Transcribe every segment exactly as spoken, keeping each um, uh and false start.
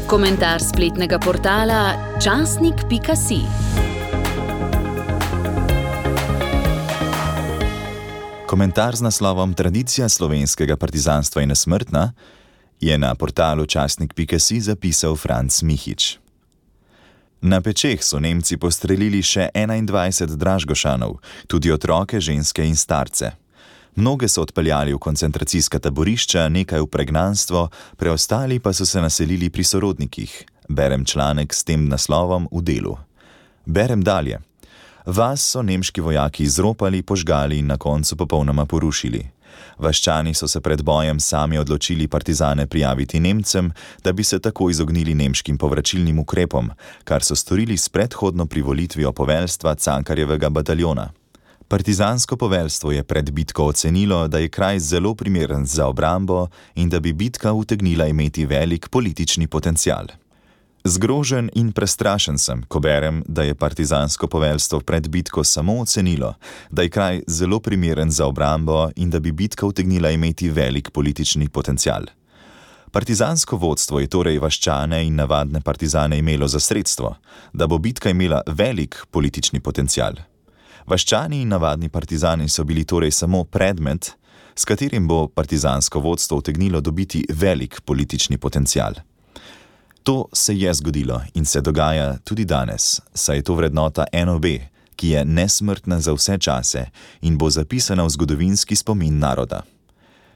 Komentar spletnega portala časnik pika si. Komentar z naslovom Tradicija slovenskega partizanstva je nesmrtna je na portalu časnik pika si zapisal Franc Mihič. Na pečeh so Nemci postrelili še enaindvajset Dražgošanov, tudi otroke, ženske in starce. Mnoge so odpeljali v koncentracijska taborišča, nekaj v pregnanstvo, preostali pa so se naselili pri sorodnikih. Berem članek s tem naslovom v Delu. Berem dalje. Vas so nemški vojaki izropali, požgali in na koncu popolnoma porušili. Vaščani so se pred bojem sami odločili partizane prijaviti Nemcem, da bi se tako izognili nemškim povračilnim ukrepom, kar so storili s predhodno privolitvijo poveljstva Cankarjevega bataljona. Partizansko poveljstvo je pred bitko ocenilo, da je kraj zelo primeren za obrambo in da bi bitka utegnila imeti velik politični potencial. Zgrožen in prestrašen sem, ko berem, da je partizansko poveljstvo pred bitko samo ocenilo, da je kraj zelo primeren za obrambo in da bi bitka utegnila imeti velik politični potencial. Partizansko vodstvo je torej vaščane in navadne partizane imelo za sredstvo, da bo bitka imela velik politični potencial. Vaščani in navadni partizani so bili torej samo predmet, s katerim bo partizansko vodstvo utegnilo dobiti velik politični potencial. To se je zgodilo in se dogaja tudi danes, saj je to vrednota en o be, ki je nesmrtna za vse čase in bo zapisana v zgodovinski spomin naroda.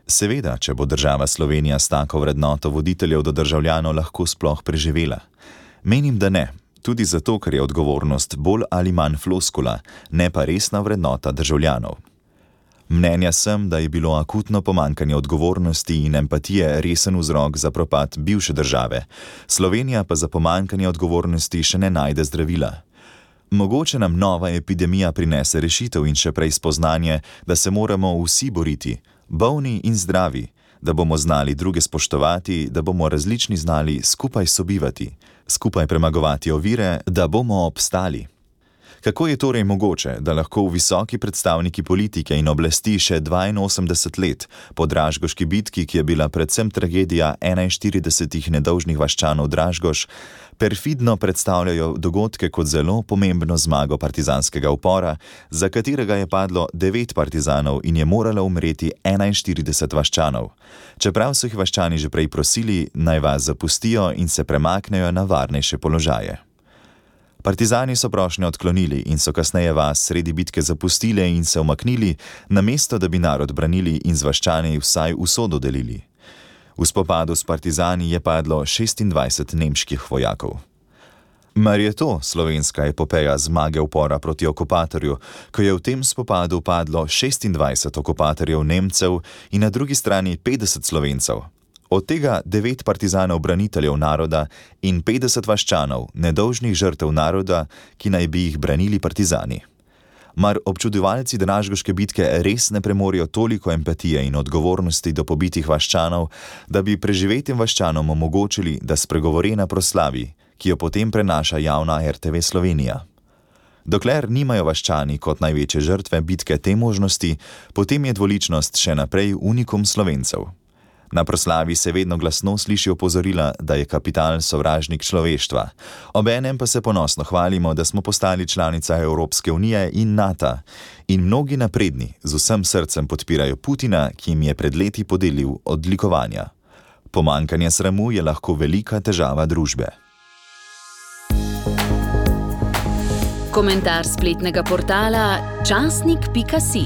Seveda, če bo država Slovenija s tako vrednoto voditeljev do državljanov lahko sploh preživela. Menim, da ne, tudi zato, ker je odgovornost bolj ali manj floskula, ne pa resna vrednota državljanov. Mnenja sem, da je bilo akutno pomanjkanje odgovornosti in empatije resen vzrok za propad bivše države, Slovenija pa za pomanjkanje odgovornosti še ne najde zdravila. Mogoče nam nova epidemija prinese rešitev in še prej spoznanje, da se moramo vsi boriti, bolni in zdravi, da bomo znali druge spoštovati, da bomo različni znali skupaj sobivati, skupaj premagovati ovire, da bomo obstali. Kako je torej mogoče, da lahko visoki predstavniki politike in oblasti še dvainosemdeset let po Dražgoški bitki, ki je bila predvsem tragedija enainštiridesetih nedolžnih vaščanov Dražgoš, perfidno predstavljajo dogodke kot zelo pomembno zmago partizanskega upora, za katerega je padlo devet partizanov in je moralo umreti enainštirideset vaščanov, čeprav so jih vaščani že prej prosili, naj vas zapustijo in se premaknejo na varnejše položaje. Partizani so prošnjo odklonili in so kasneje vas sredi bitke zapustili in se umaknili, namesto da bi narod branili in z vaščani vsaj usodo delili. V spopadu s partizani je padlo šestindvajset nemških vojakov. Mar je to slovenska epopeja zmage upora proti okupatorju, ko je v tem spopadu padlo šestindvajset okupatorjev Nemcev in na drugi strani petdeset Slovencev? Od tega devet partizanov braniteljev naroda in petdeset vaščanov, nedolžnih žrtev naroda, ki naj bi jih branili partizani. Mar občudovalci Dražgoške bitke res ne premorijo toliko empatije in odgovornosti do pobitih vaščanov, da bi preživetim vaščanom omogočili, da spregovori na proslavi, ki jo potem prenaša javna er te ve Slovenija. Dokler nimajo vaščani kot največje žrtve bitke te možnosti, potem je dvoličnost še naprej unikum Slovencev. Na proslavi se vedno glasno sliši opozorila, da je kapital sovražnik človeštva. Obenem pa se ponosno hvalimo, da smo postali članica Evropske unije in NATO. In mnogi napredni z vsem srcem podpirajo Putina, ki jim je pred leti podelil odlikovanja. Pomanjkanje sramu je lahko velika težava družbe. Komentar spletnega portala časnik pika si.